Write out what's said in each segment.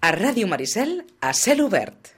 A Ràdio Maricel, a cel obert.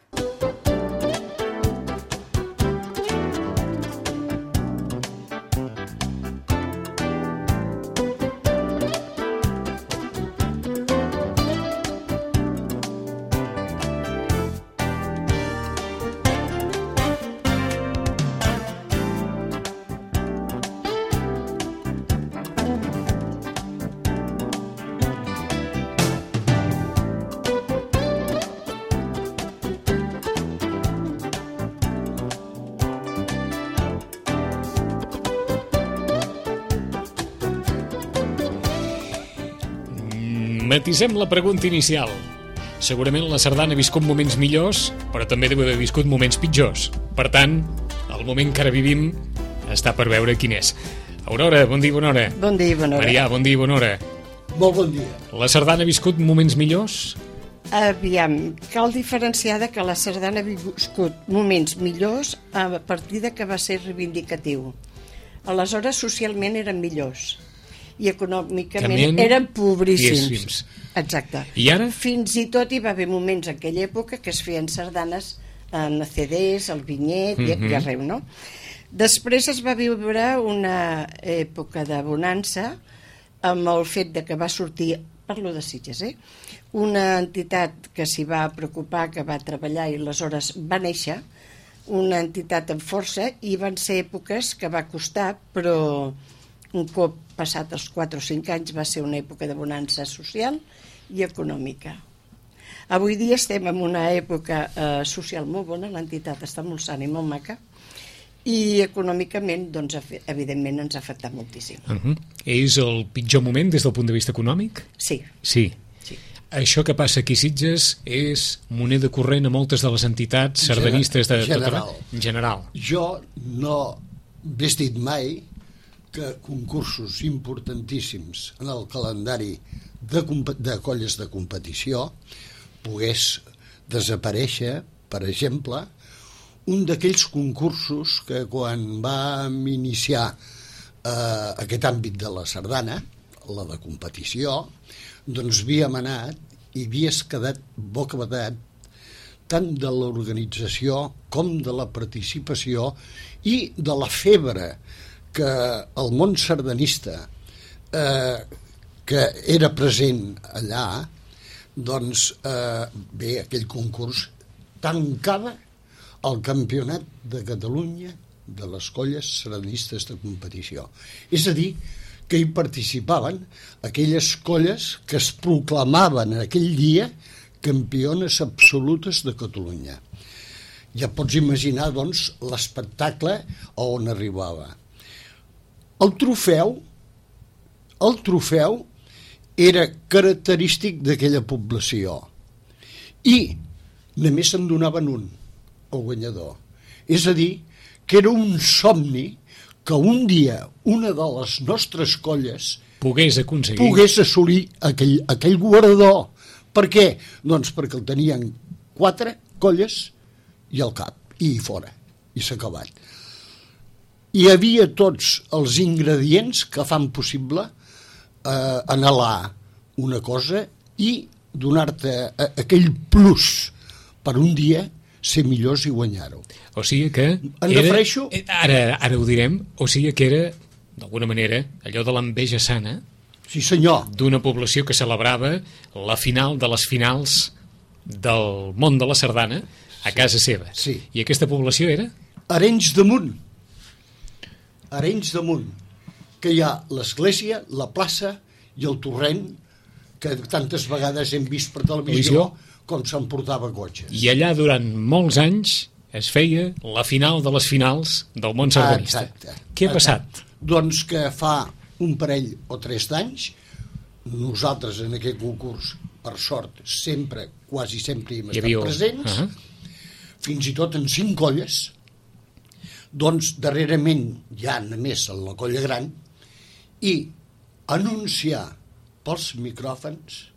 Matisem la pregunta inicial. Segurament la sardana ha viscut moments millors, però també deu haver viscut moments pitjors. Per tant, el moment que ara vivim està per veure quin és. Aurora, bon dia i bona hora. Bon dia i bona hora. Marià, bon dia i bona hora. Molt bon dia. La sardana ha viscut moments millors? Aviam, cal diferenciar de que la sardana ha viscut moments millors a partir de que va ser reivindicatiu. Aleshores, socialment eren millors i econòmicament eren pobríssims. Exacte. I ara? Fins i tot hi va haver moments en aquella època que es feien sardanes en CDs, al vinyet i arreu, no? Després es va viure una època de bonança amb el fet de que va sortir, parlo de Sitges, una entitat que s'hi va preocupar, que va treballar i aleshores va néixer, una entitat amb força, i van ser èpoques que va costar, però un cop passat els 4 o 5 anys va ser una època de bonança social i econòmica. Avui dia estem en una època social molt bona, l'entitat està molt sana i molt maca, i econòmicament, doncs, evidentment, ens ha afectat moltíssim. És el pitjor moment des del punt de vista econòmic? Sí. Sí. Això que passa aquí a Sitges és moneda corrent a moltes de les entitats sardanistes de en general. Jo no he vestit mai que concursos importantíssims en el calendari de colles de competició pogués desaparèixer, per exemple, un d'aquells concursos que quan vam iniciar aquest àmbit de la sardana, la de competició, doncs havíem anat i havies quedat bocabadat tant de l'organització com de la participació i de la febre que el món sardanista que era present allà, doncs bé, aquell concurs tancava el campionat de Catalunya de les colles sardanistes de competició. És a dir, que hi participaven aquelles colles que es proclamaven en aquell dia campiones absolutes de Catalunya. Ja pots imaginar, doncs, l'espectacle a on arribava. El trofeu era característic d'aquella població i només se'n donaven un, el guanyador. És a dir, que era un somni que un dia una de les nostres colles pogués assolir aquell guardó. Per què? Doncs perquè el tenien 4 colles i al cap, i fora, i s'ha acabat. Hi havia tots els ingredients que fan possible anhelar una cosa i donar-te aquell plus per un dia ser millors i guanyar-ho. O sigui que ara ho direm, o sigui que era d'alguna manera allò de l'enveja sana, sí senyor, d'una població que celebrava la final de les finals del món de la sardana a casa seva. Sí. I aquesta població era? Arenys de Munt, que hi ha l'església, la plaça i el torrent, que tantes vegades hem vist per televisió com s'emportava cotxes. I allà durant molts anys es feia la final de les finals del món sardanista. Exacte. Què ha passat? Doncs que fa un parell o 3 d'anys, nosaltres en aquest concurs, per sort, quasi sempre hi hem estat presents, fins i tot en 5 colles, doncs darrerament ja només en la colla gran, i anunciar pels micròfons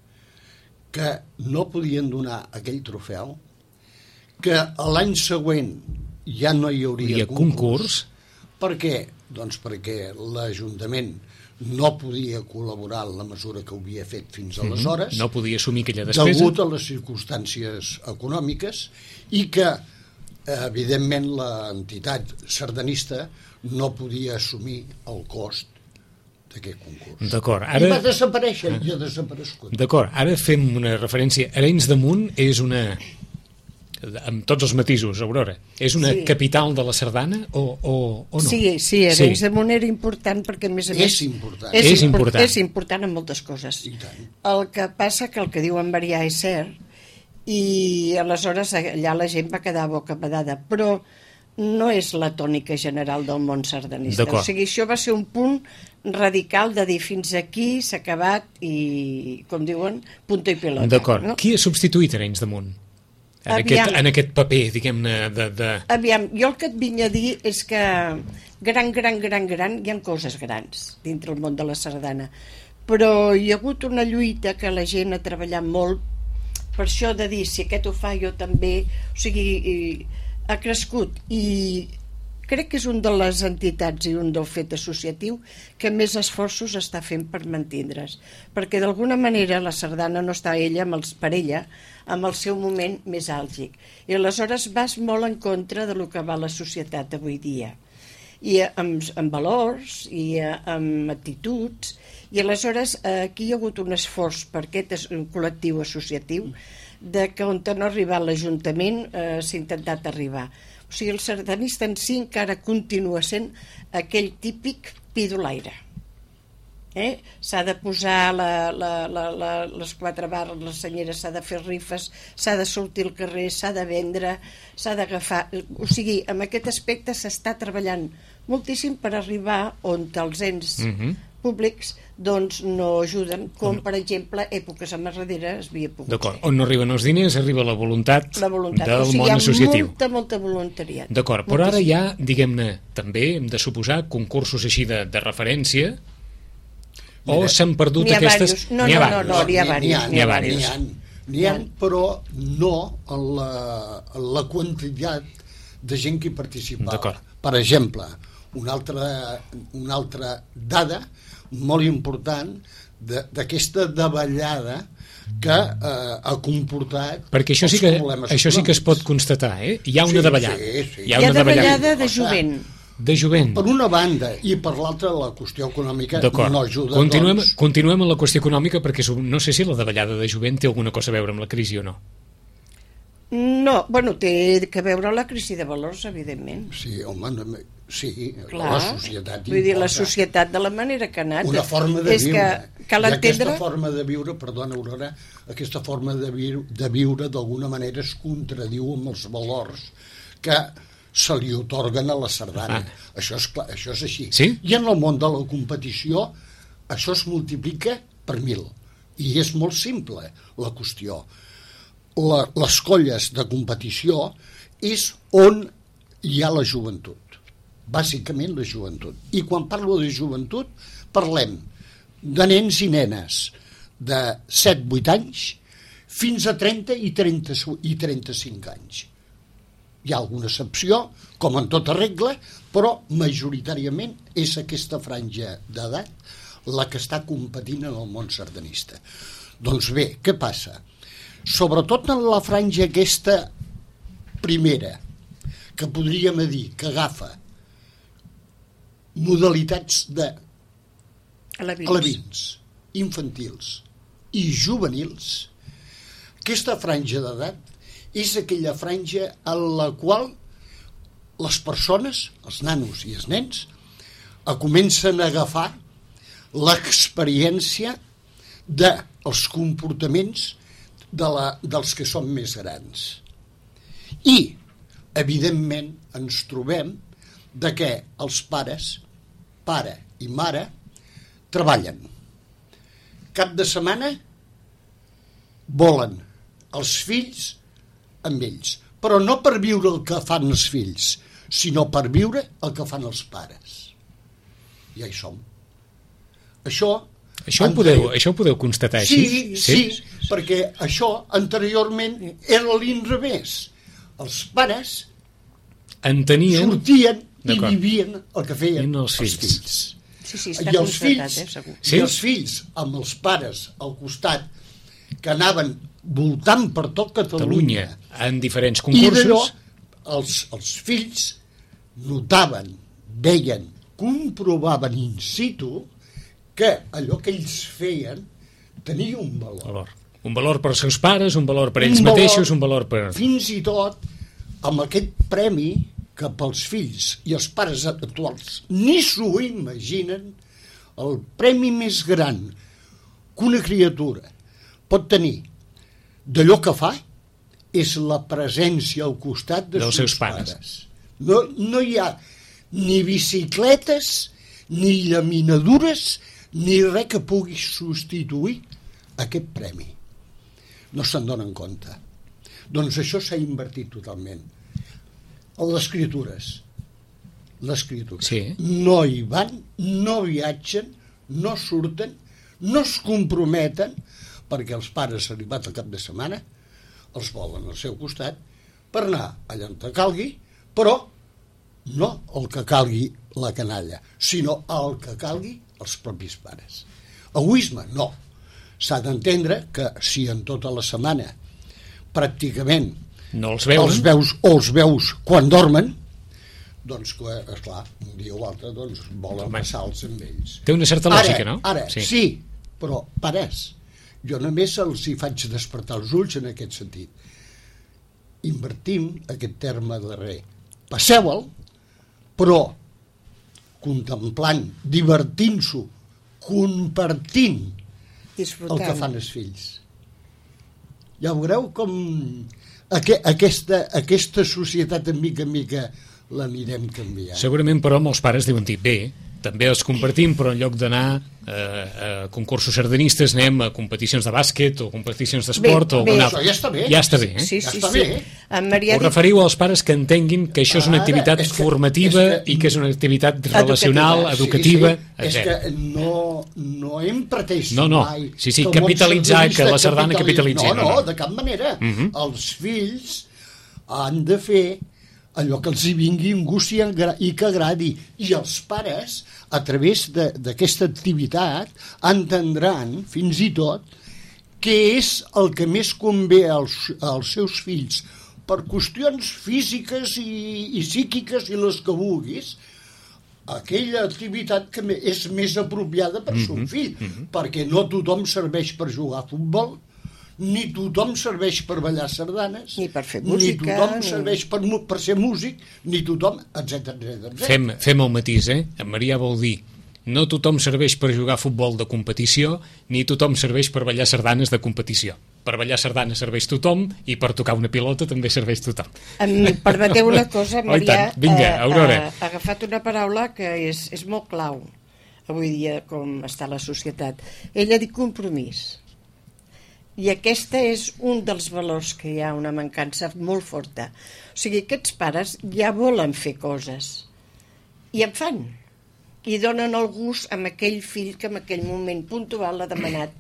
que no podien donar aquell trofeu, que l'any següent ja no hi hauria concurs. Per què? Doncs perquè l'Ajuntament no podia col·laborar en la mesura que ho havia fet fins aleshores, no podia assumir aquella despesa, degut a les circumstàncies econòmiques, i que, evidentment, l'entitat sardanista no podia assumir el cost d'aquest concurs. D'acord, I va desaparèixer, i ha desaparegut. D'acord, ara fem una referència. Arenys de Munt és una, amb tots els matisos, Aurora, és una capital de la sardana o no? Sí, Arenys de Munt era important perquè, a més a més... És important. És important en moltes coses. El que passa que el que diu en Marià és cert, i aleshores allà la gent va quedar bocabadada, però no és la tònica general del món sardanista. O sigui, això va ser un punt radical de dir fins aquí s'ha acabat i, com diuen, punto i pelota. D'acord. No? Qui ha substituït Arenys de Munt? En aquest paper, diguem-ne, Aviam, jo el que et vinc a dir és que gran, hi ha coses grans dintre el món de la sardana, però hi ha hagut una lluita que la gent ha treballat molt per això de dir, si aquest ho fa jo també, o sigui, ha crescut, i crec que és un de les entitats i un del fet associatiu que més esforços està fent per mantindre's, perquè d'alguna manera la sardana no està per ella amb el seu moment més àlgic, i aleshores vas molt en contra de lo que va la societat avui dia, i amb valors i amb actituds, i aleshores aquí hi ha hagut un esforç per aquest col·lectiu associatiu de que on no ha arribat l'Ajuntament s'ha intentat arribar. O sigui, el sardanista en si encara continua sent aquell típic pidolaire. S'ha de posar les 4 barres, les senyeres, s'ha de fer rifes, s'ha de sortir al carrer, s'ha de vendre, s'ha d'agafar... O sigui, en aquest aspecte s'està treballant moltíssim per arribar on els ens públics doncs no ajuden, com per exemple èpoques enrere es havia pogut fer. On no arriben els diners arriba la voluntat del món associatiu. Hi ha molta voluntariat. D'acord, però ara hi ha, diguem-ne, també hem de suposar concursos així de referència, o s'han perdut aquestes... No, n'hi ha diversos. N'hi ha, però no en la quantitat de gent que hi participava. Per exemple, una altra dada molt important d'aquesta davallada que ha comportat... Perquè això sí que es pot constatar, Hi ha una davallada. Hi ha davallada de jovent. De jovent. Per una banda, i per l'altra la qüestió econòmica no ajuda. Continuem amb la qüestió econòmica, perquè no sé si la davallada de jovent té alguna cosa a veure amb la crisi o no. No, bueno, té que veure la crisi de valors, evidentment. Sí, home, sí, clar, la societat importa. Vull dir, la societat de la manera que ha anat. Una forma de viure. Cal entendre... I aquesta forma de viure, perdona, Aurora, aquesta forma de viure d'alguna manera es contradiu amb els valors que se li otorguen a la sardana. Això és clar, això és així. Sí? I en el món de la competició això es multiplica per 1000. I és molt simple la qüestió. Les colles de competició és on hi ha la joventut. Bàsicament la joventut. I quan parlo de joventut parlem de nens i nenes de 7-8 anys fins a 30 i 35 anys. Hi ha alguna excepció, com en tota regla, però majoritàriament és aquesta franja d'edat la que està competint en el món sardanista. Doncs bé, què passa? Sobretot en la franja aquesta primera, que podríem dir que agafa modalitats de alevins, infantils i juvenils, aquesta franja d'edat és aquella franja en la qual les persones, els nanos i els nens, comencen a agafar l'experiència dels comportaments dels que són més grans. I, evidentment, ens trobem de que els pares, pare i mare, treballen. Cap de setmana volen els fills amb ells, però no per viure el que fan els fills, sinó per viure el que fan els pares. Ja hi som. Això ho podeu constatar així? Sí, perquè això anteriorment era l'inrevés. Els pares sortien i vivien el que feien els fills. Sí, està I els constatat, fills, segur. Sí? i els fills amb els pares al costat, que anaven voltant per tot Catalunya, en diferents i d'allò concursos. els fills notaven, veien, comprovaven in situ que allò que ells feien tenia un valor. Un valor per als seus pares, un valor per ells Un valor, mateixos, un valor per... Fins i tot amb aquest premi que pels fills i els pares actuals ni s'ho imaginen, el premi més gran que una criatura pot tenir d'allò que fa és la presència al costat dels seus pares. No hi ha ni bicicletes, ni llaminadures, ni res que pugui substituir aquest premi. No se'n donen compte. Doncs això s'ha invertit totalment. Les escritures. Sí. No hi van, no viatgen, no surten, no es comprometen, perquè els pares, arribat al cap de setmana, els volen al seu costat per anar allà on calgui, però no el que calgui la canalla, sinó el que calgui els propis pares. Egoisme, no. S'ha d'entendre que si en tota la setmana pràcticament No els veuen. els veus quan dormen, doncs, esclar, un dia o l'altre doncs, volen passar-los amb ells. Té una certa lògica, no? Ara, sí, però pares, jo només els hi faig despertar els ulls en aquest sentit. Invertim aquest terme darrer. Passeu-el, però contemplant, divertint-s'ho, compartint el que fan els fills. Ja veureu com aquesta societat en mica l'anirem canviant. Segurament, però, molts pares diuen dir, bé, també els compartim, però en lloc d'anar a concursos sardanistes anem a competicions de bàsquet o competicions d'esport o alguna altra. Això ja està bé. Ja està bé, eh? Sí, Ja sí, està sí. bé. En Marià Us referiu als pares que entenguin que això és una activitat formativa i que és una activitat relacional, educativa, És etc. que no hem pretès No, mai sí, que el món capitalitzar, que la sardanista sardana capitalitzi. No, de cap manera. Els fills han de fer allò que els hi vingui en gust i que agradi, i els pares a través d'aquesta activitat entendran fins i tot què és el que més convé als seus fills per qüestions físiques i psíquiques i les que vulguis, aquella activitat que és més apropiada per son fill, perquè no tothom serveix per jugar a futbol, ni tothom serveix per ballar sardanes, ni per fer música, ni tothom serveix per ser músic, ni tothom, etc. Fem el matís, eh? En Marià vol dir no tothom serveix per jugar a futbol de competició, ni tothom serveix per ballar sardanes de competició. Per ballar sardanes serveix tothom i per tocar una pilota també serveix tothom. Em permeteu una cosa, Marià, Vinga, Aurora. ha agafat una paraula que és molt clau avui dia com està la societat. Ella ha dit compromís. I aquesta és un dels valors que hi ha, una mancança molt forta. O sigui, aquests pares ja volen fer coses i en fan, i donen el gust amb aquell fill que en aquell moment puntual ha demanat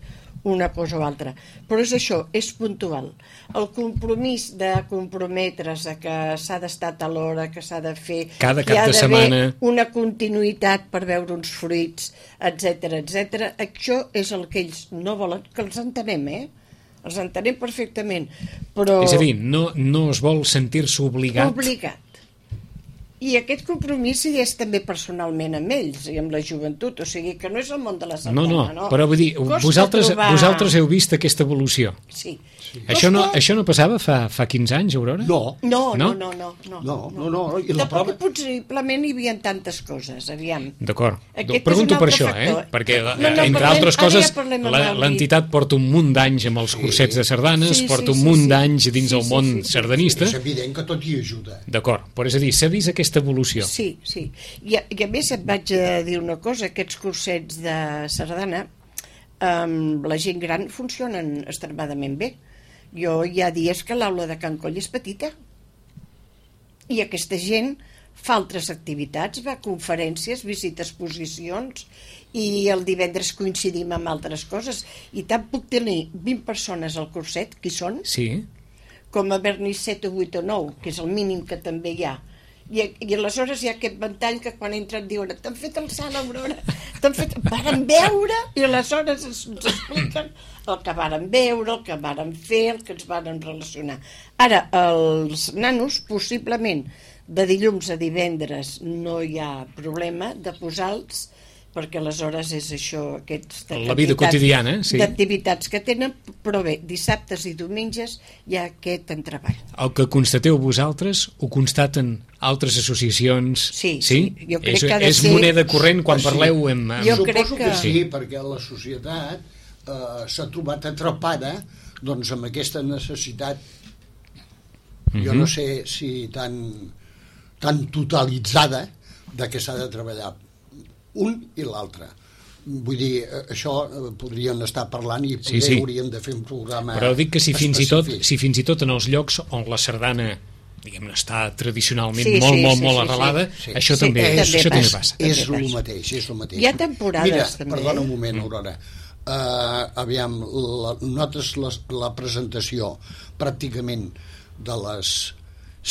una cosa o altra. Però és això, és puntual. El compromís de comprometre's, que s'ha d'estar a l'hora, que s'ha de fer, cada que hi cap ha de d'haver setmana una continuïtat per veure uns fruits, etc. Això és el que ells no volen, que els entenem, els entenem perfectament, però... És a dir, no es vol sentir-se obligat. I aquest compromís hi és també personalment amb ells i amb la joventut, o sigui que no és el món de la sardana, no. Però vull dir, vosaltres heu vist aquesta evolució. Sí. Això no passava fa 15 anys, Aurora? No. I la prova... Possiblement hi havia tantes coses, aviam. D'acord. Pregunto per això, perquè entre altres coses l'entitat porta un munt d'anys amb els cursets de sardanes, porta un munt d'anys dins el món sardanista. És evident que tot hi ajuda. D'acord, però és a dir, s'ha vist aquesta evolució. Sí. I a més et vaig a dir una cosa, aquests cursets de sardana amb la gent gran funcionen extremadament bé. Jo hi ha dies que l'aula de Can Coll és petita i aquesta gent fa altres activitats, va a conferències, visita exposicions i el divendres coincidim amb altres coses i tant puc tenir 20 persones al curset, qui són? Sí. Com haver-n'hi 7 o 8 o 9, que és el mínim que també hi ha. I aleshores hi ha aquest ventall que quan entren diuen t'han fet el salt, Aurora, varen veure i aleshores ens expliquen el que varen veure, el que varen fer, el que ens varen relacionar. Ara, els nanos, possiblement, de dilluns a divendres no hi ha problema de posar-los, perquè aleshores és això, la vida quotidiana, sí, d'activitats que tenen, però bé, dissabtes i diumenges hi ha aquest entreball. El que constateu vosaltres ho constaten altres associacions? Sí, jo crec que ha de ser... És moneda corrent quan parleu amb... Suposo que sí, perquè la societat s'ha trobat atrapada doncs amb aquesta necessitat, jo no sé si tan totalitzada de que s'ha de treballar un i l'altre. Vull dir, això podrien estar parlant i potser hauríem de fer un programa. Però dic que si fins i tot en els llocs on la sardana, diguem-ne, està tradicionalment molt arrelada, això també passa. És el mateix. Hi ha temporades. Mira, també. Perdona un moment, Aurora. Aviam, notes la presentació pràcticament de les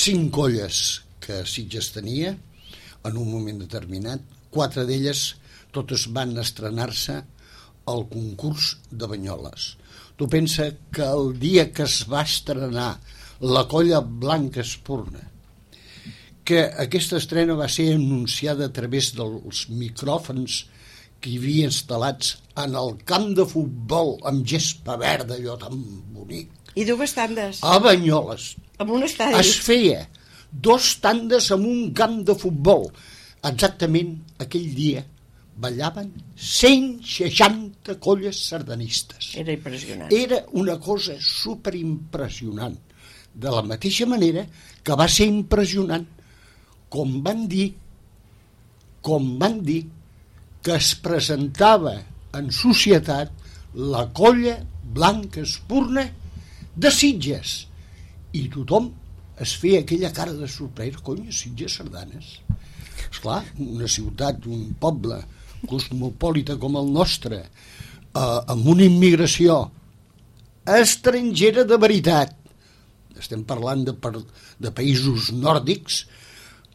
5 colles que Sitges tenia en un moment determinat. 4 d'elles totes van estrenar-se al concurs de Banyoles. Tu pensa que el dia que es va estrenar la colla Blanca Espurna, que aquesta estrena va ser anunciada a través dels micròfons que hi havia instal·lats en el camp de futbol amb gespa verda, allò tan bonic. I 2 tandes. A Banyoles. Amb un estadi. Es feia 2 tandes en un camp de futbol. Exactament aquell dia ballaven 160 colles sardanistes. Era impressionant. Era una cosa superimpressionant. De la mateixa manera que va ser impressionant com van dir que es presentava en societat la colla Blanca Espurna de Sitges. I tothom es feia aquella cara de sorpresa. Conya, Sitges sardanes. Esclar, una ciutat, un poble cosmopolita com el nostre, amb una immigració estrangera de veritat, estem parlant de països nòrdics,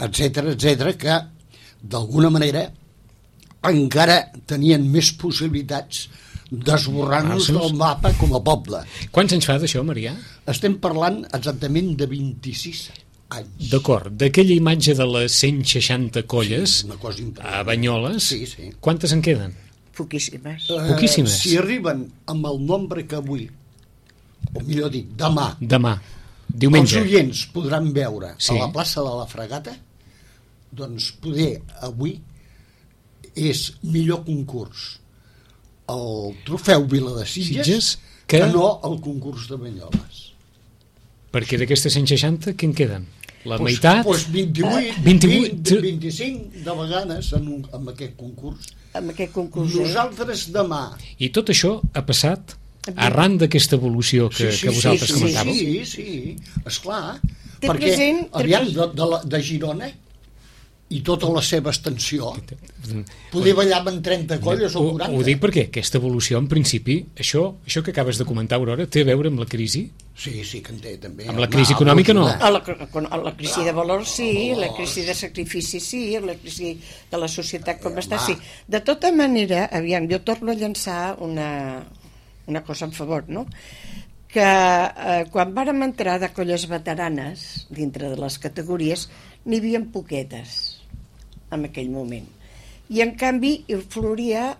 etc., que d'alguna manera encara tenien més possibilitats d'esborrar-nos del mapa com a poble. Quants anys fa d'això, Marià? Estem parlant exactament de 26 anys. D'acord, d'aquella imatge de les 160 colles a Banyoles, quantes en queden? Poquíssimes. Poquíssimes. Si arriben amb el nombre que avui, o millor dit, demà, diumenge, els oients podran veure a la plaça de la Fregata, doncs poder avui és millor concurs el trofeu Vila de Sitges que no el concurs de Banyoles. Perquè d'aquestes 160, què en queden? La meitat? 28, 25 de vegades en aquest concurs. Amb aquest concurs. Nosaltres demà. I tot això ha passat arran d'aquesta evolució que vosaltres comentàveu? Sí, esclar. Perquè, aviam, de Girona i tota la seva extensió poder ballar amb 30 colles o 40. Ho dic perquè aquesta evolució, en principi, això que acabes de comentar, Aurora, té a veure amb la crisi? Sí, que en té també. Amb la crisi econòmica no? La crisi de valors sí, la crisi de sacrifici sí, la crisi de la societat com està sí. De tota manera, aviam, jo torno a llançar una cosa en favor, no? Que quan vàrem entrar de colles veteranes dintre de les categories n'hi havia poquetes en aquell moment i en canvi floria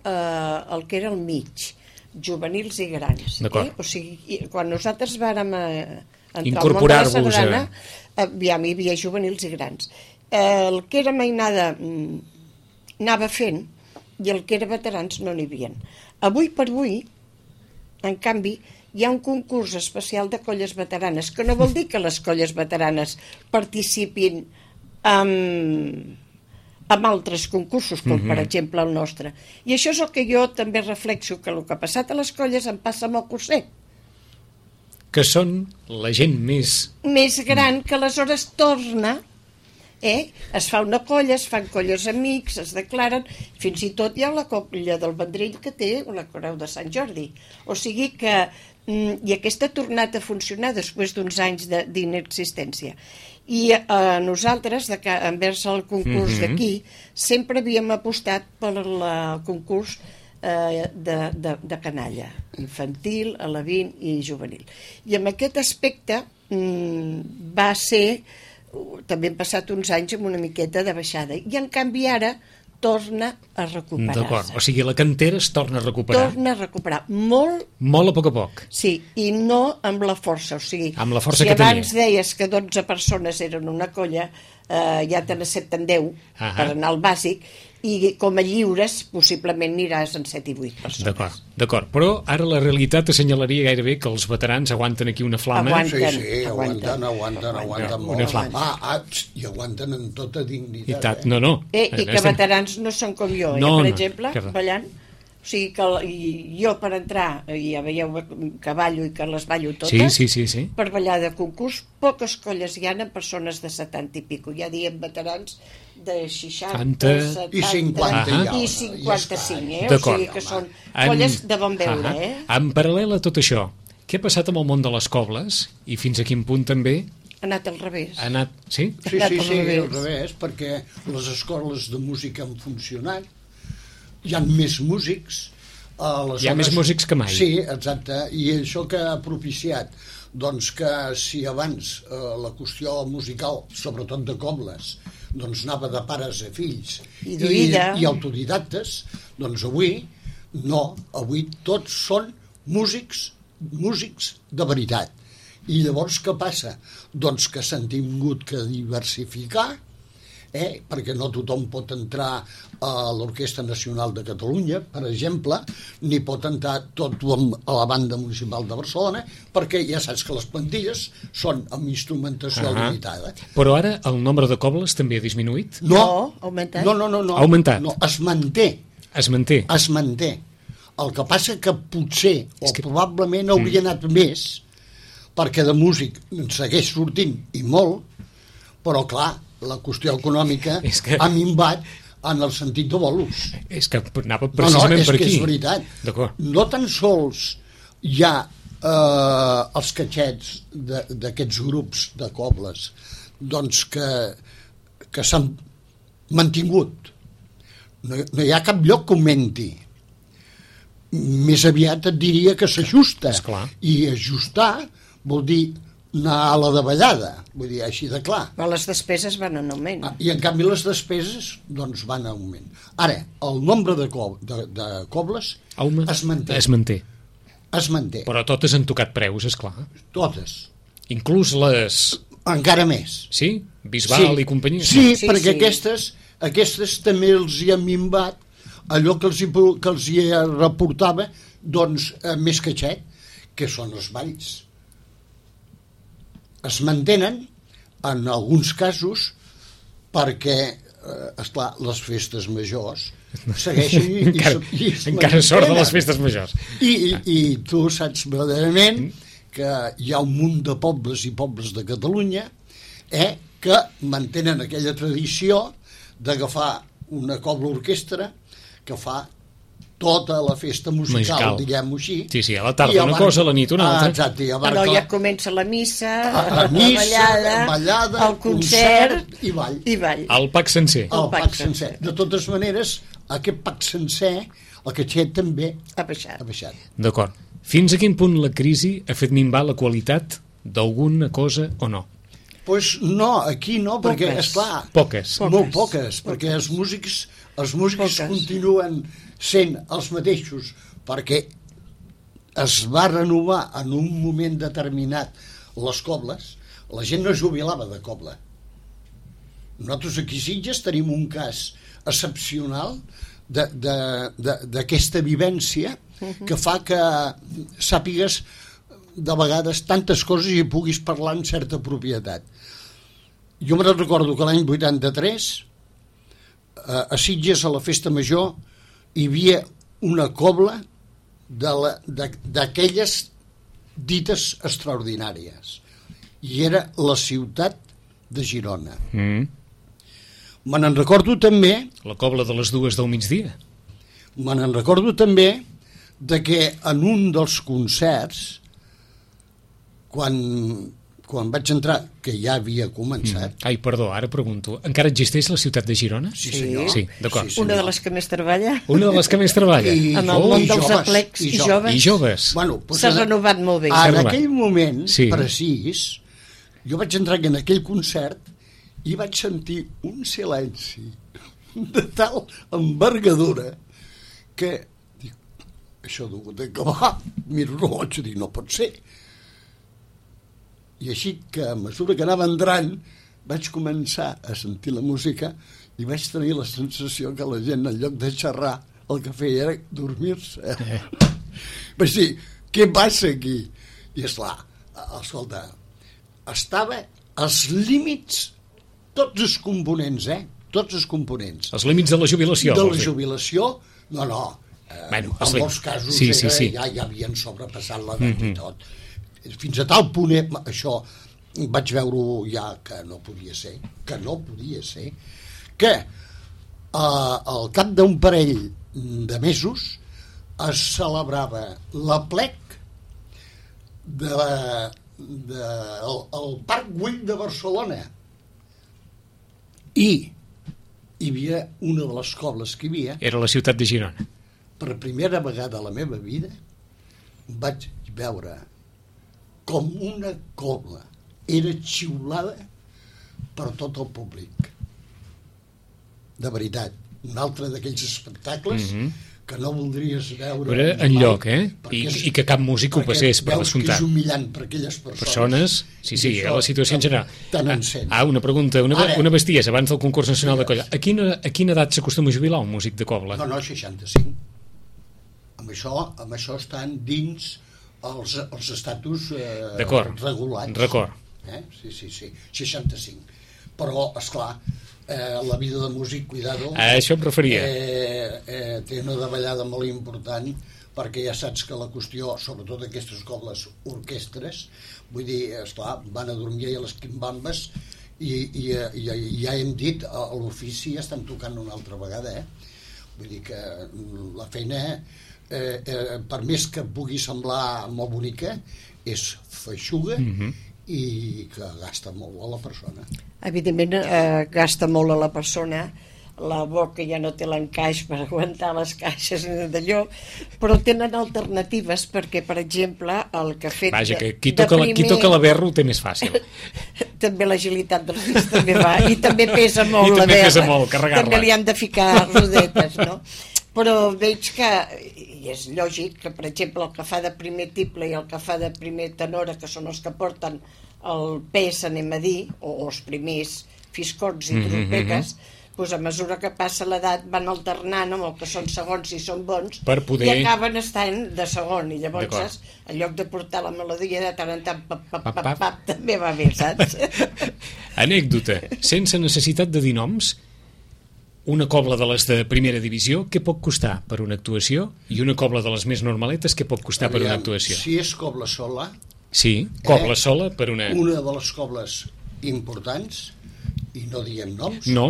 el que era el mig, juvenils i grans. O sigui, quan nosaltres vàrem entrar al món de la sardana, aviam, hi havia juvenils i grans. El que era mainada anava fent i el que era veterans no n'hi havia. Avui per avui, en canvi, hi ha un concurs especial de colles veteranes, que no vol dir que les colles veteranes participin amb altres concursos, com per exemple el nostre. I això és el que jo també reflexo, que el que ha passat a les colles em passa amb el curser. Que són la gent més gran, que aleshores torna Es fa una colla, es fan colles amics, es declaren, fins i tot hi ha la colla del Vendrell que té la Creu de Sant Jordi. O sigui que i aquesta ha tornat a funcionar després d'uns anys d'inexistència. I nosaltres, envers el concurs d'aquí, sempre havíem apostat per el concurs de canalla, infantil, alevin i juvenil. I en aquest aspecte va ser, també han passat uns anys amb una miqueta de baixada, i en canvi ara torna a recuperar-se. D'acord, o sigui, la cantera es torna a recuperar. Torna a recuperar, molt a poc a poc. Sí, i no amb la força, o sigui, amb la força si que abans tenia. deies que 12 persones eren una colla, ja te n'accepten 10 per anar al bàsic, i com a lliures possiblement aniràs en 7 i 8 persones. D'acord, però ara la realitat assenyalaria gairebé que els veterans aguanten aquí una flama. Aguanten molt. Una flama. I aguanten en tota dignitat. I que veterans no són com jo, per exemple, ballant. O sigui que jo per entrar, ja veieu que ballo i que les ballo totes, sí. Per ballar de concurs, poques colles hi ha en persones de 70 i pico. Ja diem veterans de 60, 70 i 50 i 55, O sigui que són colles de bon veure. En paral·lel a tot això, què ha passat amb el món de les cobles i fins a quin punt també ha anat al revés. Sí, al revés, perquè les escoles de música han funcionat, hi ha més músics, hi ha més músics que mai. Sí, exacte, i això que ha propiciat doncs que si abans la qüestió musical, sobretot de cobles, doncs anava de pares a fills i autodidactes, doncs avui tots són músics de veritat. I llavors què passa? Doncs que s'han tingut que diversificar, perquè no tothom pot entrar a l'Orquestra Nacional de Catalunya, per exemple, ni pot entrar tothom a la Banda Municipal de Barcelona, perquè ja saps que les plantilles són amb instrumentació limitada. Però ara el nombre de cobles també ha disminuït? No, ha augmentat. Ha augmentat? No, es manté. Es manté? Es manté. El que passa que potser, probablement hauria anat més, perquè de músic en segueix sortint, i molt, però clar, la qüestió econòmica ha minvat en el sentit de bolos. És que anava precisament per aquí. És veritat. No tan sols hi ha els catxets d'aquests grups de cobles doncs que s'han mantingut. No hi ha cap lloc que augmenti. Més aviat et diria que s'ajusta. I ajustar vol dir anar a la davallada, vull dir, així de clar. Però les despeses van en augment. I en canvi les despeses doncs van en augment. Ara, el nombre de cobles es manté. Es manté. Però totes han tocat preus, esclar. Totes. Inclús les... Encara més. Sí? Bisbal i companyia? Sí, perquè aquestes també els hi ha minvat allò que els hi reportava doncs més catxet, que són els balls. Es mantenen en alguns casos perquè, esclar, les festes majors segueixen encara sort de les festes majors. I tu saps verdaderament que hi ha un munt de pobles i pobles de Catalunya que mantenen aquella tradició d'agafar una cobla orquestra que fa tota la festa musical, diguem-ho així. Sí, a la tarda una cosa, a la nit una altra. Exacte. Però ja comença la missa, la ballada, el concert i ball. El pack sencer. El pack sencer. De totes maneres, aquest pack sencer, el catxet també ha baixat. D'acord. Fins a quin punt la crisi ha fet minvar la qualitat d'alguna cosa o no? Doncs no, aquí no, perquè, esclar... Poques. Molt poques, perquè els músics continuen sent els mateixos, perquè es va renovar en un moment determinat les cobles, la gent no es jubilava de cobla. Nosaltres aquí a Sitges tenim un cas excepcional d'aquesta vivència que fa que sàpigues de vegades tantes coses i puguis parlar amb certa propietat. Jo me'n recordo que l'any 83 a Sitges, a la festa major, hi havia una cobla d'aquelles dites extraordinàries, i era la ciutat de Girona. Me n'en recordo també, La cobla de les 2 del migdia. de que en un dels concerts, quan vaig entrar, que ja havia començat... Ai, perdó, ara pregunto. Encara existeix la ciutat de Girona? Sí, senyor. Sí, d'acord. Una de les que més treballa. Una de les que més treballa. En el món dels joves, aplecs i joves. I joves. Bueno, doncs S'ha renovat molt bé. En renovat. aquell moment Sí. precís, jo vaig entrar en aquell concert i vaig sentir un silenci de tal envergadura que dic, això ha d'acabar. Miro el rellotge i dic, no pot ser. I així que a mesura que anava entrant vaig començar a sentir la música i vaig tenir la sensació que la gent, en lloc de xerrar, el que feia era dormir-se. Vaig dir, què passa aquí? I esclar, escolta, estava als límits, tots els components, tots els components. Els límits de la jubilació. De la vols dir? jubilació, no. Bueno, En molts casos sí. ja havien sobrepassat l'edat i tot. Fins a tal punt, això vaig veure ja que no podia ser, que al cap d'un parell de mesos es celebrava l'aplec al Parc Güell de Barcelona. I hi havia una de les cobles que hi havia, Era la ciutat de Girona. per primera vegada a la meva vida vaig veure com una cobla era xiulada per tot el públic. De veritat, un altre d'aquells espectacles que no voldries veure Era en lloc, I que cap músic ho passés, per veus que descomptat. és humillant per aquelles persones. Sí, I era la situació en general. Tan encén. Una pregunta, Ara- una bestiesa, abans del concurs nacional de colla. A quina edat s'acostuma a jubilar un músic de cobla? No, 65. Amb això estan dins els estatus D'acord. regulats. D'acord. Sí, 65. Però, esclar, la vida de músic, cuidado, A això em referia. té una davallada molt important, perquè ja saps que la qüestió, sobretot aquestes cobles orquestres, vull dir, esclar, van a dormir a les quimbambes i ja hem dit, a l'ofici ja estan tocant una altra vegada, Vull dir que la feina, per més que pugui semblar molt bonica, és feixuga i que gasta molt a la persona. Evidentment gasta molt a la persona, la boca ja no té l'encaix per aguantar les caixes d'allò, però tenen alternatives perquè, per exemple, el que ha fet Vaja, que qui toca la berra ho té més fàcil. També l'agilitat dels dits també va, i també pesa molt I la també berra, pesa molt carregar-la. també li han de ficar rodetes, no? Però veig que, i és lògic, que per exemple el que fa de primer tiple i el que fa de primer tenora, que són els que porten el pes, anem a dir, o els primers fiscorns i trompetes, doncs a mesura que passa l'edat van alternant amb el que són segons i són bons, Per poder- i acaben estant de segon, i llavors D'acord. en lloc de portar la melodia de tant en tant pap, també va bé, saps? Anècdota. Sense necessitat de dir noms, una cobla de les de primera divisió, què pot costar per una actuació? I una cobla de les més normaletes, què pot costar per una Aviam, actuació? Si és cobla sola, Sí, cobla sola per una... una de les cobles importants, i no diem noms, No.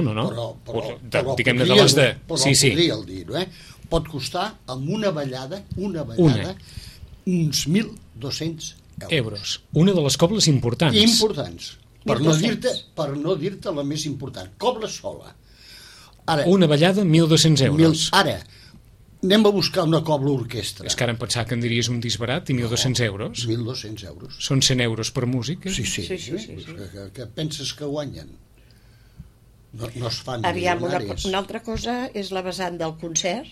Diguem-ne de les de... Però Sí. podríeu dir-ho, Pot costar amb una ballada, uns 1.200 euros. Una de les cobles importants. Importants. Per 1.200. no dir-te la més important. Cobla sola. Ara, Una ballada, 1.200 euros. Ara, anem a buscar una cobla orquestra. És que ara em pensava que em diries un disbarat i 1.200 euros. 1.200 euros. Són 100 euros per música. Sí. Sí. Que penses que guanyen? No es fan Aviam, milionaris. una altra cosa és la vessant del concert.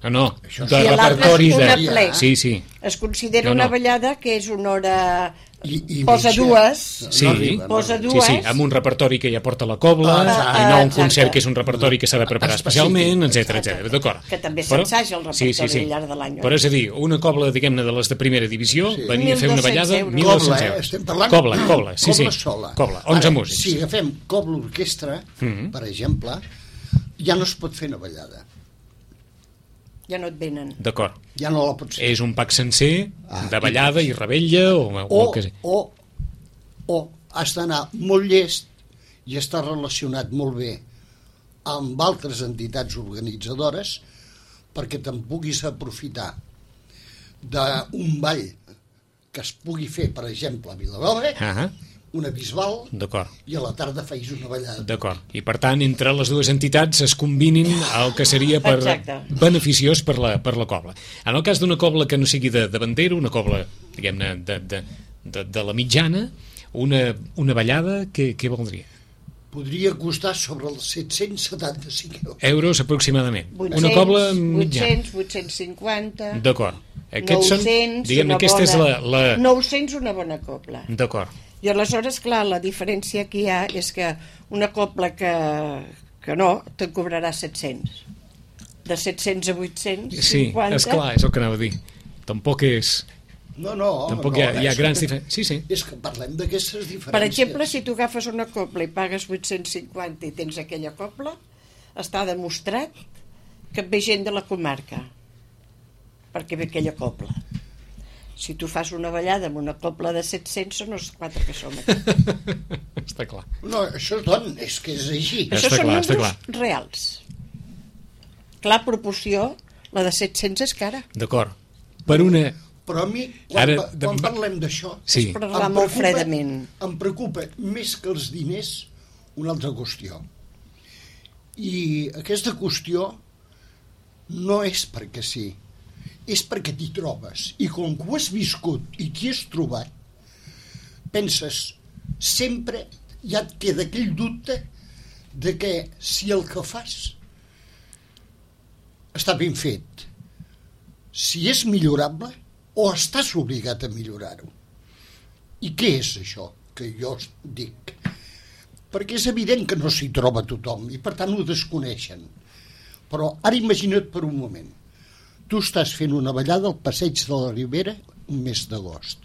No, Això de sí. I l'altre repertori és de... una plec. Sí. Es considera No. una ballada que és una hora... I posa mitja. dues. Sí. Posa Sí, dues. amb un repertori que ja porta la cobla, Exacte. i no un Exacte. concert que és un repertori que s'ha de preparar especialment, etc. D'acord. Que també s'ensaja el repertori al llarg de l'any. Però és a dir, una cobla, diguem-ne, de les de primera divisió, venia a fer una 1.200 ballada, euros. 1.200 Cobla, euros. estem parlant... Cobla, sí. Cobla sola. Cobla, 11 Ara, músics. Si agafem cobla orquestra, per exemple, ja no es pot fer una ballada. Ja no et venen. D'acord. Ja no la pots fer. És un pack sencer de ballada i rebella o el que sigui. O has d'anar molt llest i està relacionat molt bé amb altres entitats organitzadores perquè te'n puguis aprofitar d'un ball que es pugui fer, per exemple, a Vilanova, una Bisbal, i a la tarda feis una ballada. D'acord. I per tant, entre les dues entitats es combinin el que seria beneficiós per la cobla. En el cas d'una cobla que no sigui de bandera, una cobla, diguem-ne, de la mitjana, una ballada, què valdria? Podria costar sobre els 775 euros aproximadament. 800, una cobla mitjana. 850... D'acord. Aquests 900, són, diguem-ne, aquesta és la... 900 una bona cobla. D'acord. I aleshores, clar, la diferència que hi ha és que una cobla que no, te'n cobrarà 700. De 700 a 850... Sí, esclar, és el que anava a dir. Tampoc és... No, tampoc hi ha grans diferències. Sí. És que parlem d'aquestes diferències. Per exemple, si tu agafes una cobla i pagues 850 i tens aquella cobla, està demostrat que et ve gent de la comarca, perquè ve aquella cobla. Si tu fas una ballada amb una cobla de 700, són els 4 que som aquí. Està clar. No, això és que és així. Això són números reals. Clar, proporció, la de 700 és cara. D'acord. Per una... Però a mi, quan parlem d'això, és parlar molt fredament. Em preocupa més que els diners una altra qüestió. I aquesta qüestió no és perquè sí, és perquè t'hi trobes. I com que ho has viscut i t'hi has trobat, penses, sempre ja et queda aquell dubte de que si el que fas està ben fet, si és millorable, o estàs obligat a millorar-ho. I què és això que jo dic? Perquè és evident que no s'hi troba tothom i per tant ho desconeixen. Però ara imagina't per un moment. Tu estàs fent una ballada al Passeig de la Ribera un mes d'agost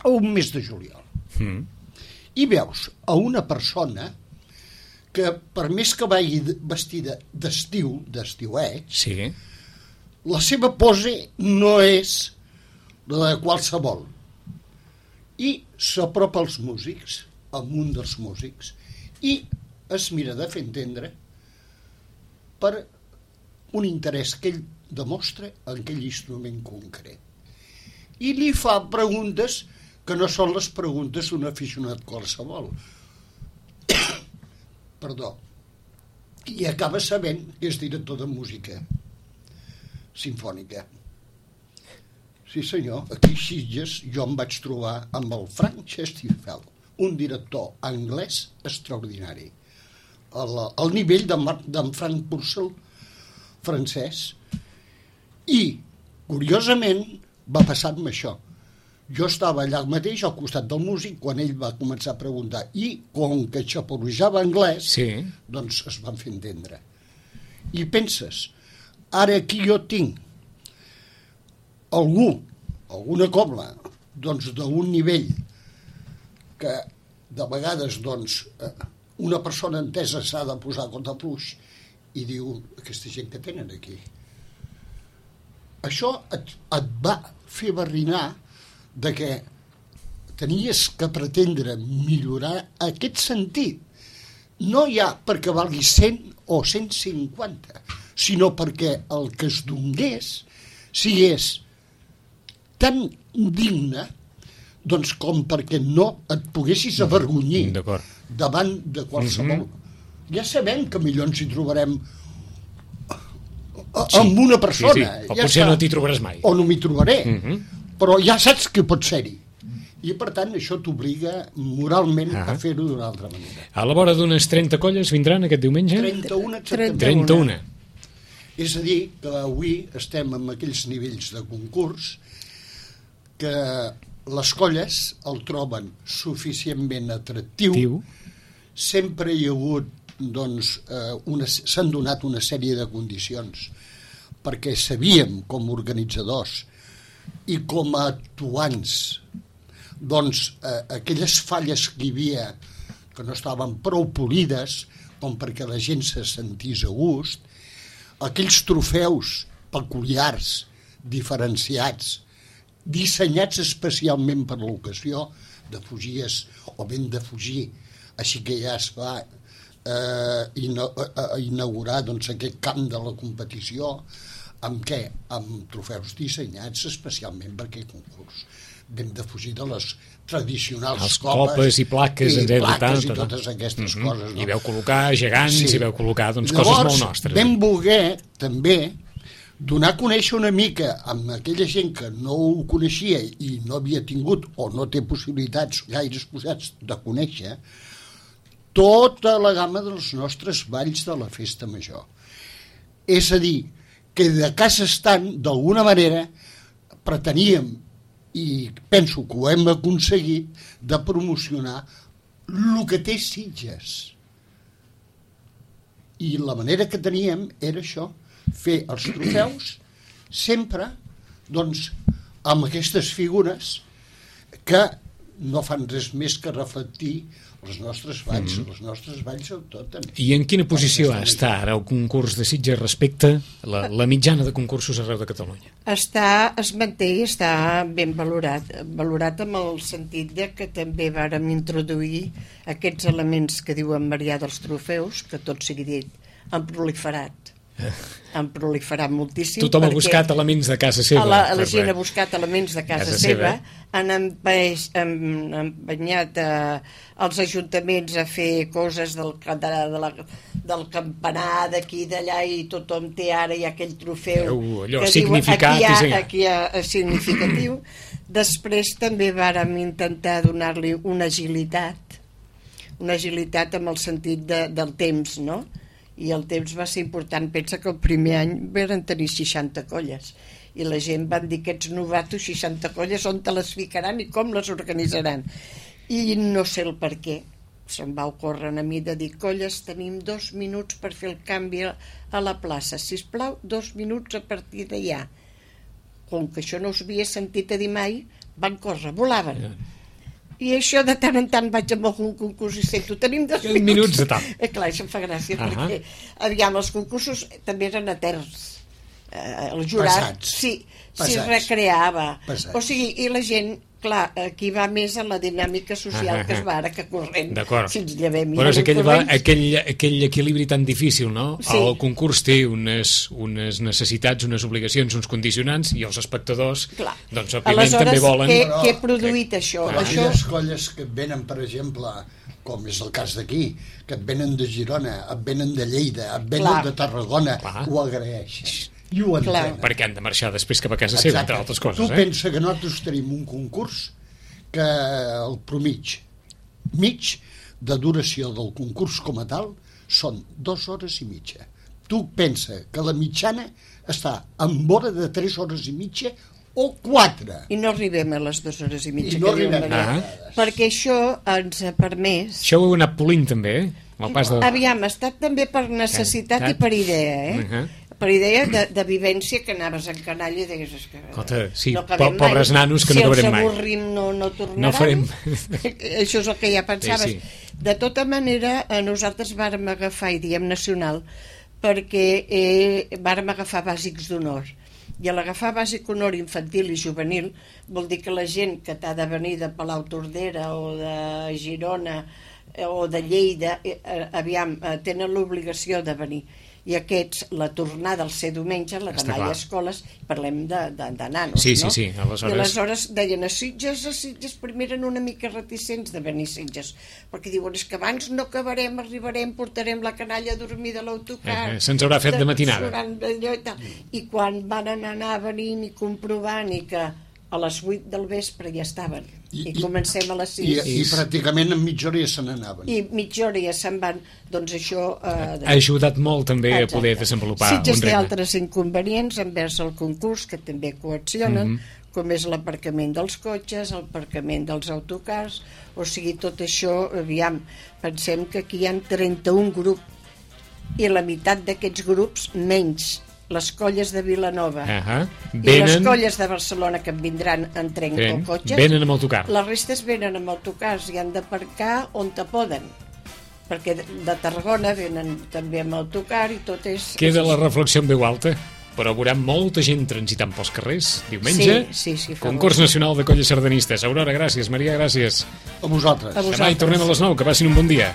o un mes de juliol. I veus a una persona que per més que vagi vestida d'estiu, d'estiueig, la seva pose no és la de qualsevol, i s'apropa als músics, amb un dels músics, i es mira de fer entendre per un interès que ell demostra en aquell instrument concret, i li fa preguntes que no són les preguntes d'un aficionat qualsevol. Perdó. I acaba sabent que és director de música simfònica. Sí senyor, aquí a Sitges jo em vaig trobar amb el Frank Chesterfield, un director anglès extraordinari, al nivell d'en Frank Purcell francès. I, curiosament, va passar-me això. Jo estava allà mateix, al costat del músic, quan ell va començar a preguntar, i com que xaporrejava anglès, doncs es van fer entendre. I penses, ara aquí jo tinc alguna cobla doncs d'un nivell que de vegades doncs una persona entesa s'ha de posar contra fluix i diu, aquesta gent que tenen aquí, això et va fer barrinar de que tenies que pretendre millorar aquest sentit, no ja perquè valgui 100 o 150, sinó perquè el que es donés sigués tan digne doncs com perquè no et poguessis avergonyir davant de qualsevol. Ja sabem que millor ens hi trobarem amb una persona. O potser no t'hi trobaràs mai. O no m'hi trobaré, però ja saps que pot ser-hi. I per tant això t'obliga moralment a fer-ho d'una altra manera. A la vora d'unes 30 colles vindran aquest diumenge? 31. És a dir, que avui estem en aquells nivells de concurs que les colles el troben suficientment atractiu. Sempre hi ha hagut, doncs, s'han donat una sèrie de condicions perquè sabíem com a organitzadors i com a actuants doncs aquelles falles que hi havia que no estaven prou polides com perquè la gent se sentís a gust, aquells trofeus peculiars, diferenciats, dissenyats especialment per l'ocasió, de fugies o ben de fugir, així que ja es va inaugurar doncs, aquest camp de la competició. Amb què? Amb trofeus dissenyats especialment per aquest concurs. Vam defugir de les tradicionals les copes i plaques, i totes aquestes coses. No? I veu col·locar gegants, i veu col·locar doncs, llavors, coses molt nostres. Vam voler també donar a conèixer una mica amb aquella gent que no ho coneixia i no havia tingut o no té possibilitats gaires posats de conèixer tota la gamma dels nostres balls de la festa major. És a dir, que de casa estant, d'alguna manera, preteníem, i penso que ho hem aconseguit, de promocionar el que té Sitges. I la manera que teníem era això, fer els trofeus sempre doncs, amb aquestes figures que no fan res més que reflectir els nostres balls, tot. I en quina posició està ara el concurs de Sitges respecte a la mitjana de concursos arreu de Catalunya? Es manté i està ben valorat amb el sentit de que també vàrem introduir aquests elements que diu en Marià dels trofeus, que tot sigui dit, han proliferat moltíssim. Tothom ha buscat elements de casa seva. La gent ha buscat elements de casa seva, han empenyat els ajuntaments a fer coses del campanar d'aquí d'allà, i tothom té ara ja aquell trofeu allò, significat, aquí significatiu. Després també vàrem intentar donar-li una agilitat amb el sentit del temps, no? I el temps va ser important. Pensa que el primer any van tenir 60 colles i la gent van dir, aquests novatos, 60 colles, on te les ficaran i com les organitzaran? I no sé el per què se'm va ocórrer a mi de dir, colles, tenim 2 minuts per fer el canvi a la plaça, sisplau, 2 minuts a partir d'allà. Com que això no us havia sentit a dir mai, van córrer, volaven. I això de tant en tant vaig amb algun concurs i sento, tenim 2 minuts de tal. Clar, això em fa gràcia, perquè aviam, els concursos també eren eterns. El jurat s'hi recreava. O sigui, i la gent, clar, aquí va més en la dinàmica social que es va ara, que corrent. Si ens llevem. Però és aquell equilibri tan difícil, no? Sí. El concurs té unes necessitats, unes obligacions, uns condicionants, i els espectadors, doncs, òbviament, també volen... Aleshores, què he produït això? Aquelles colles que et venen, per exemple, com és el cas d'aquí, que et venen de Girona, et venen de Lleida, et venen de Tarragona, ho agraeixes. I ho entenen. Perquè han de marxar després cap a casa seva, entre altres coses. Tu pensa que nosaltres tenim un concurs que el mig de duració del concurs com a tal són 2 hores i mitja. Tu pensa que la mitjana està en vora de 3 hores i mitja o 4. I no arribem a les 2 hores i mitja que diuen Maria. Perquè això ens ha permès... Això ho heu anat polint també, Aviam, ha estat també per necessitat i per idea, per idea de vivència, que anaves en canalla i deies... Sí, pobres nanos que no acabarem mai. Si els avorrim no tornaran. Això és el que ja pensaves. De tota manera, nosaltres vàrem agafar, i diem nacional, perquè vàrem agafar bàsics d'honor. I a l'agafar bàsic honor infantil i juvenil vol dir que la gent que t'ha de venir de Palautordera o de Girona o de Lleida, aviam, tenen l'obligació de venir. I aquests, la tornada al ser diumenge, la demà hi ha escoles, parlem de nanos, no? Sí, I aleshores deien a Sitges primer eren una mica reticents de venir a Sitges, perquè diuen, és que abans no acabarem, arribarem, portarem la canalla a dormir de l'autocar. Se'ns haurà fet de matinada. I quan van anar venint i comprovant i que a les 8 del vespre ja estaven i comencem a les 6 i pràcticament en mitja hora ja se n'anaven i mitja hora ja se'n van, doncs això ha ajudat molt també a poder desenvolupar un ritme. Sitges té altres inconvenients envers el concurs que també coaccionen, com és l'aparcament dels cotxes, l'aparcament dels autocars, o sigui, tot això, aviam, pensem que aquí hi ha 31 grups i la meitat d'aquests grups, menys les colles de Vilanova i les colles de Barcelona que en vindran en tren o cotxes, venen amb autocar. Les restes venen amb autocars i han d'aparcar on te poden, perquè de Tarragona venen també amb autocar i tot és... Queda la reflexió en veu alta, però veurem molta gent transitant pels carrers diumenge. Sí, Concurs Nacional de Colles Sardanistes. Aurora, gràcies. Maria, gràcies. A vosaltres. Demà hi tornem a les 9, que passin un bon dia.